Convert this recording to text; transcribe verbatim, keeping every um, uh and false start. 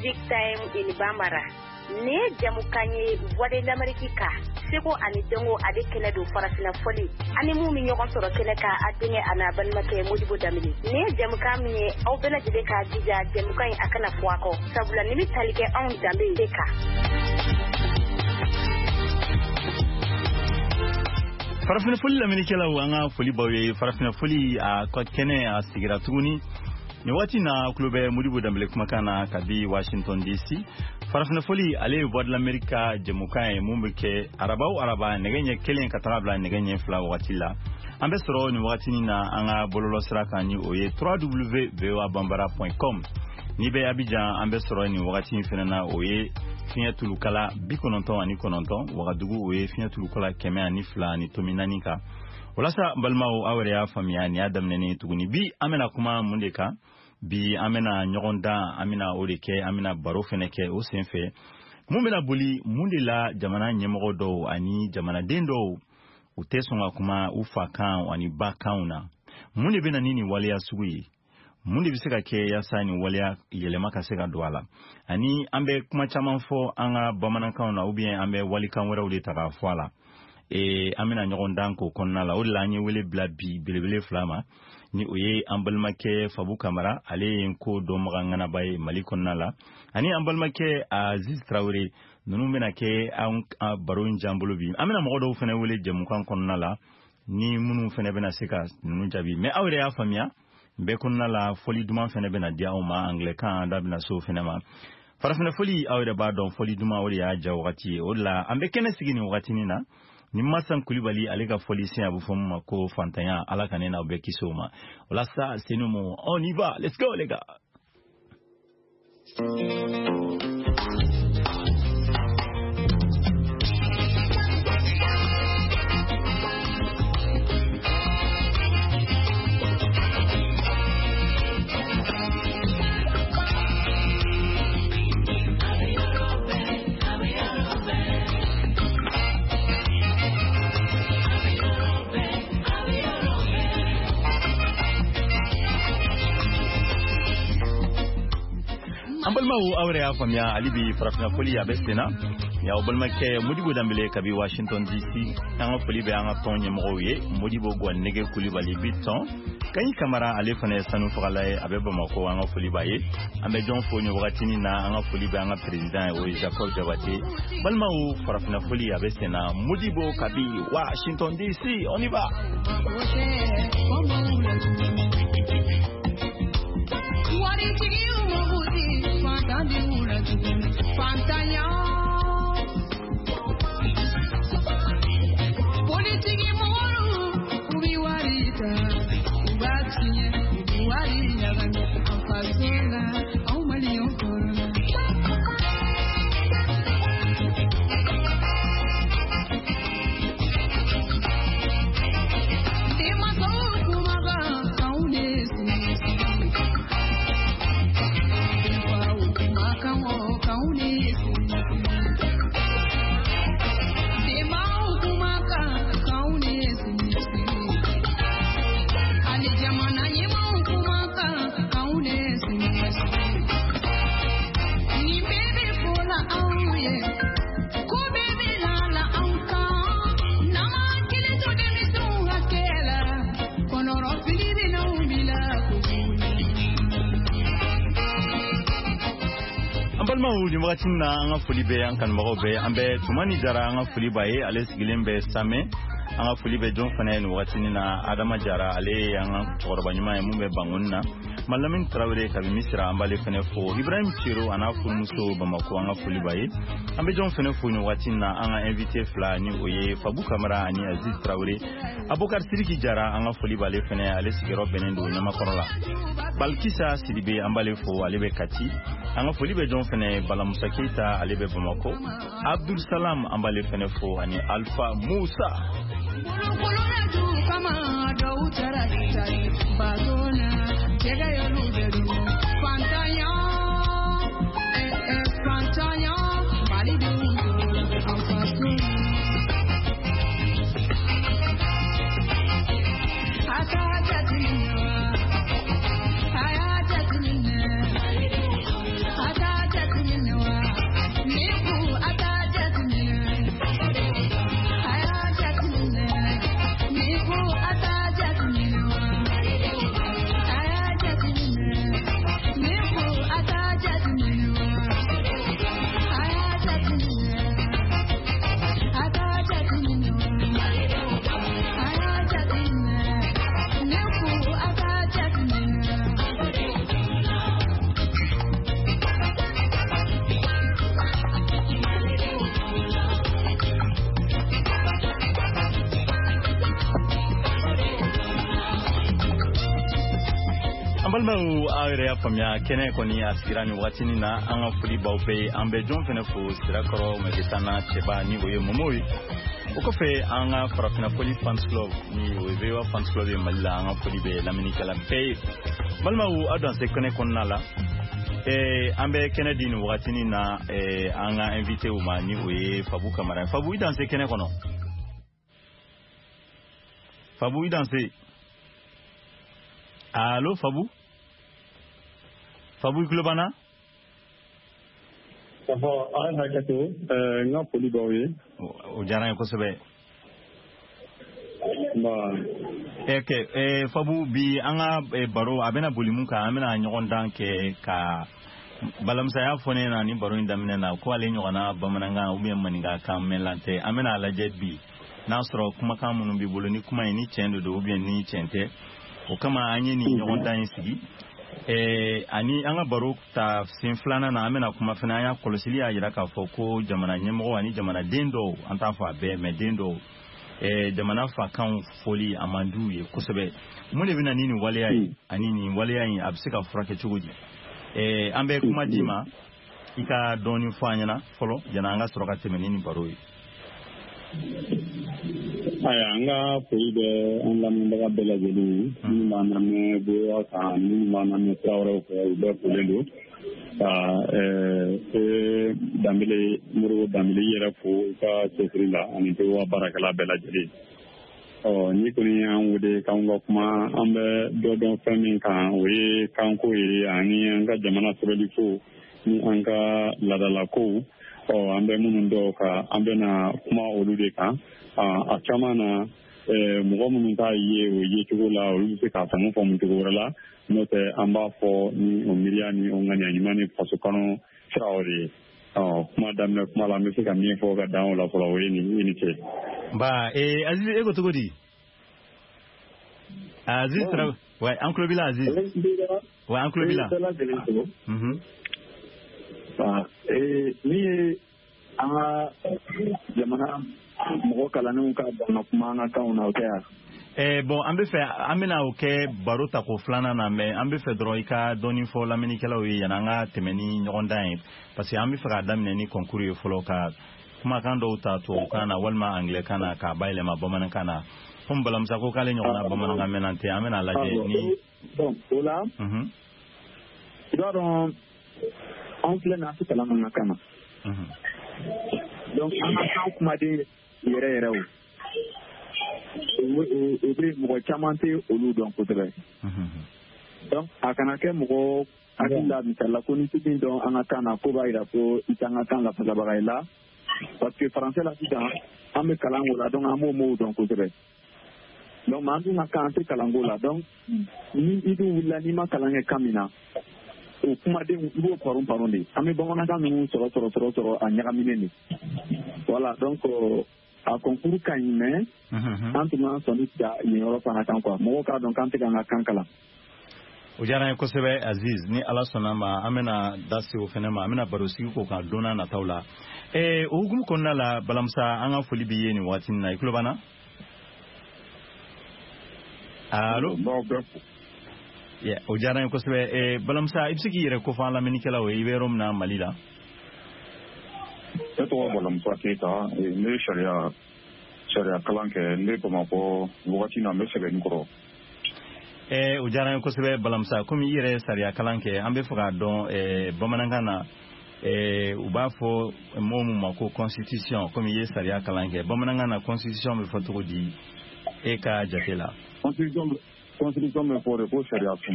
Music Time in Bambara. Nin ye jamukan ye Voix de l'Amérique kan, seko ani dɔnko ale kɛnɛ don farafinna fɔli ani mun bɛ ɲɔgɔn sɔrɔ kɛnɛ kan, a denkɛ a n'a balimakɛ Modibo Danbele. Nin ye jamukan min ye, aw bɛɛ lajɛlen k'a jija jamukan in a kana fɔ a kɔ, sabula nin bɛ tali kɛ anw danbe de kan. Farafinna foli lamɛnnikɛlaw, an ka foli b'aw ye. Farafinna foli a ka kɛnɛ a sigira tuguni nin waati na, tulo bɛ Modibo Danbele kumakan na kabi Washington D C. Farafinna foli, ale ye Voix de l'Amérique ka jɛmukan ye mun bɛ kɛ araba o araba nɛgɛ ɲɛ kelen ka taga bila nɛgɛ ɲɛ fila wagati la. An bɛ sɔrɔ nin wagatinin na an ka bɔlɔlɔsira kan, ni o ye w w w point voa bambara point com. N'i bɛ Abidjan, an bɛ sɔrɔ nin wagati in fana na, o ye fiɲɛ tulukala bi kɔnɔntɔn ani kɔnɔntɔn. Wagadugu, o ye fiɲɛ tulukala kɛmɛ ani fila ani tomi naani kan. Walasa balimaw, aw yɛrɛ y'a faamuya, nin y'a daminɛnen tuguni. Bi an bɛna kuma mun de kan? Bi an bɛna ɲɔgɔn dan, an bɛna o de kɛ, an bɛna baro fɛnɛ kɛ o sen fɛ. Mun bɛna boli mun de la jamana ɲɛmɔgɔ dɔw ani jamanaden dɔw u tɛ sɔn ka kuma u fa kan ani ba kanw na? Mun de bɛ na ni nin waleya sugu ye? Mun de bɛ se ka kɛ yaasa nin waleya yɛlɛma ka se ka don a la? Ani an bɛ kuma caman fɔ an ka bamanankanw na, ou bien an bɛ walikan wɛrɛw de ta k'a fɔ a la. ee an bɛna ɲɔgɔn dan k'o kɔnɔna la. O de la an ye wele bila bi belebele fila ma, ni o ye an balimakɛ Fabu Kamara, ale ye ko dɔnbaga ŋanaba ye Mali kɔnɔna la, ani an balimakɛ Aziz Tarawele. Ninnu bɛna kɛ an baro in jan bolo bi. An bɛna mɔgɔ dɔw fana wele jɛmukan kɔnɔna la, ni minnu fana bɛna se ka ninnu jaabi. Mais aw yɛrɛ y'a faamuya, bɛɛ kɔnɔna la, fɔli duman fana bɛna di aw ma, anglais kan, an da bɛna se o fana ma. Farafinna foli, aw yɛrɛ b'a dɔn, fɔli duman, o de y'a ja wagati ye. O de la an bɛ kɛnɛ sigi nin wagatinin na ni Masan Kulibali, ale ka fɔli sen, a bɛ fɔ min ma ko fantanya. Ala ka ne n'aw bɛɛ kisi o ma. O la sa, c'est nous, on y va, let's go les gars. An balimaw, aw yɛrɛ y'a faamuya, hali bi farafinna foli a bɛ sen na. Y'aw balimakɛ Modibo Danbele kabi Washington D C. An ka foli bɛ an ka tɔn ɲɛmɔgɔw ye, Modibo Gwanege Kulibali bi tɔn Kaɲi Kamara, ale fana ye sanu fagala ye, a bɛ Bamakɔ, an ka foli b'a ye. An bɛ jɔn fo nin wagatinin na? An ka foli bɛ an ka président ye, o ye Jacob Jabate. Balimaw, farafinna foli a bɛ sen na, Modibo kabi Washington D C, on y va. Waritigiw mago tɛ fantandenw la tuguni, fantanya. Politiki mɔgɔw, u bɛ wari ta, u b'a tiɲɛ, u bɛ wari ɲagami an faso la, anw maliyɛnw tɔɔrɔ la. Denmansaw kumakan k'anw de sigi sigi. Denfaw kumakan o k'anw de sigi sigi. Denbaw kumakan k'anw de sigi sigi. Hali jamana ɲɛmaaw kumakan k'anw de sigi sigi. Nin bɛɛ bɛ fɔla anw ye, ko bɛɛ bɛ lala anw kan. N'an m'an hakili to denmisɛnw hakɛ la, kɔnɔrɔfili bɛ n'anw bila kojugu la. An balimaw, nin wagati na, an ka foli bɛ an kanubagaw bɛɛ. An bɛ Tumani Jara, an ka foli b'a ye, ale sigilen bɛ Samɛ. An ka foli bɛ jɔn fana ye nin wagatinin na? Adama Jara, ale ye an ka cɛkɔrɔba ɲuman ye mun bɛ Bangoni na. Malamin Tarawele kabi Misira, an b'ale fana fo. Ibrahim Cero a n'a furumuso Bamako, an ka foli b'a ye. An bɛ jɔn fana fo nin waati na? An ka invité fila, ni o ye Fabu Kamara ani Aziz Tarawele. Abokar Siriki Jara, an ka foli b'ale fana, ale sigiyɔrɔ bɛnnen don Ɲamakɔrɔ la. Balkisa Sidibe, an b'ale fo, ale bɛ Kati. An ka foli bɛ jɔn fana? Balamusa Keyita, ale bɛ Bamakɔ. Abdul Salam, an b'ale fana fo, ani Alpha Musa. Bolokolola kama dɔw taara Itali bato la, jɛgɛ y'olu bɛɛ dun. Fantanya, eh, eh, fantanya, Malidenw tɔɔrɔ an faso la. A k'a jateminɛ wa, a y'a jateminɛ, a k'a An balimaw, aw yɛrɛ y'a faamuya, kɛnɛ kɔni a sigira nin wagatinin na. An ka foli b'aw bɛɛ ye. An bɛ jɔn fɛnɛ fo Sirakɔrɔ Mɛkisana cɛba, ni o ye Momo ye. O kɔfɛ, an ka Farafinna Foli fans club, ni o ye V O A fans club ye Mali la, an ka foli bɛ lamɛnnikɛla bɛɛ ye. Balimaw, aw danse kɛnɛ kɔnɔna la. eh, an bɛ kɛnɛ di nin wagatinin na eh, an ka invité ma, ni o ye Fabu Kamara ye. Fabu, i danse kɛnɛ kɔnɔ. Fabu, i danse. Allo, Fabu, Fabu, i tulo b'an na? Ɔhɔ, a ye hakɛ to, n ka foli b'aw ye. O diyara n ye kosɛbɛ. Nba. Ok, eh, Fabu, bi an ka eh, baro a bɛna boli mun kan? An bɛna ɲɔgɔn dan kɛ ka Balamusa y'a fɔ ne ɲɛna ni baro in daminɛ na ko ale ɲɔgɔnna bamanankan ou bien maninkakan mɛnlan tɛ. An bɛna a lajɛ bi n'a sɔrɔ kumakan minnu b'i bolo, ni kuma in ni tiɲɛ de don ou bien ni tiɲɛ tɛ. O kama an ye nin ɲɔgɔn dan in sigi. eh, ani an ka baro ta sen filanan na, an bɛna kuma fana. An y'a kɔlɔsili y'a jira k'a fɔ ko jamana ɲɛmɔgɔ ani jamanaden dɔw, an t'a fɔ a bɛɛ, mais den dɔw, eh, jamana fakanw fɔli a man d'u ye kosɛbɛ. Mun de bɛna ni nin waleya ye, ani nin waleya in a bɛ se ka furakɛ cogo di? eh, an bɛ kuma d'i ma, i ka dɔɔni fɔ an ɲɛna fɔlɔ yanni an ka sɔrɔ ka tɛmɛ ni nin baro ye. Ayiwa, an ka foli bɛ an lamɛnbaga bɛɛ lajɛlen ye, minnu b'an lamɛn V O A kan, minnu b'an lamɛn sira wɛrɛw fɛ, u bɛɛ folen don. Ka e Danbele, Modibo Danbele, i yɛrɛ fo i ka cɛsiri la, ani V O A baarakɛla bɛɛ lajɛlen. Ɔ ni kɔni y'an wele k'an ka kuma, an bɛ dɔ dɔn fɛn min kan, o ye kanko ye ani an ka jamana sɛbɛnliko ni an ka laadalakow. Ɔ an bɛ minnu dɔw kan, an bɛna kuma olu de kan. A caman na, mɔgɔ minnu t'a ye o ye cogo la, olu bɛ se k'a faamu faamu cogo wɛrɛ la. N'o tɛ, an b'a fɔ ni o miiriya ni o ŋaniya ɲuman ni faso kanu siraw de ye. Ɔ kuma daminɛ kuma la, an bɛ se ka min fɔ ka dan o la fɔlɔ, o ye nin i ni ce. Ba eh, Aziz, e ko cogo di? Aziz Traoré, ouais, an tulo b'i la. Aziz, ouais, an tulo b'i la. Mhm. Min ye an ka jamana mɔgɔ kalannenw ka ban ka kuma an ka kanw na, o tɛ yan? Eh, bon, an bɛ fɛ an bɛna o kɛ baro tako filanan na, mais an bɛ fɛ dɔrɔn i ka dɔɔni fɔ lamɛnnikɛlaw ye yanni an ka tɛmɛ ni ɲɔgɔn dan ye, parce que an bɛ fɛ k'a daminɛ ni concours ye fɔlɔ, ka kumakan dɔw ta tubabukan na walima anglais kan na k'a bayɛlɛma bamanankan na. Komi Balamusa ko k'ale ɲɔgɔnna bamanankan mɛnna tɛ, an bɛna lajɛ ni. Bon, o la, Mhm. i b'a dɔn, anw filɛ nin ye, an tɛ kalan an ka kan na. Mhm. Donc an ka kan kumaden yɛrɛ yɛrɛ, o o bɛ mɔgɔ caman tɛ olu dɔn kosɛbɛ. Mhm. Donc a kana kɛ mɔgɔ hakili la, misali la, ko ni tɛ min dɔn an ka kan na, ko b'a jira ko i t'an ka kan lafasabaga ye la, parce que français la sisan, an bɛ kalan o la, donc an b'o mots dɔn kosɛbɛ. Donc mais an dun ka kan, an tɛ kalanko la. Donc ni i dun wulila, n'i ma kalan kɛ kan min na, o kumadenw i b'o paron paron de. An bɛ bamanankan ninnu sɔrɔ sɔrɔ sɔrɔ sɔrɔ a ɲagaminen de. Voilà, donc a concours ka ɲi, mais Mhm. an tun b'an sɔnni da yen yɔrɔ fana kan quoi, mɔgɔw k'a dɔn k'an tɛ k'an ka kan kalan. O diyara an ye kosɛbɛ, Aziz. Ni Ala sɔnna ma, an bɛna da se o fɛnɛ ma, an bɛna baro sigi k'o kan don n'a nataw la. Eh, o hukumu kɔnɔna la, Balamusa, an ka foli b'i ye nin waati in na. I tulo b'an na? Allo? N b'aw bɛɛ fo. Yeah, o diyara n ye kosɛbɛ. Eh, Balamusa, i bɛ se k'i yɛrɛ kofɔ an lamɛnnikɛlaw ye, i bɛ yɔrɔ min na Mali la? Ne tɔgɔ Balamusa Keyita. Ne ye sariya sariya kalan kɛ, ne Bamakɔ wagati na, n bɛ Sɛbɛnni kɔrɔ. Eh, o diyara n ye kosɛbɛ, Balamusa. Komi i yɛrɛ ye sariya kalan kɛ, an bɛ fɛ k'a dɔn, eh, bamanankan na, eh, u b'a fɔ mot mun ma ko constitution? Komi i ye sariya kalan kɛ, bamanankan na, constitution bɛ fɔ cogo di e ka jate la? Constitution, constitution bɛ fɔ de ko sariya sun.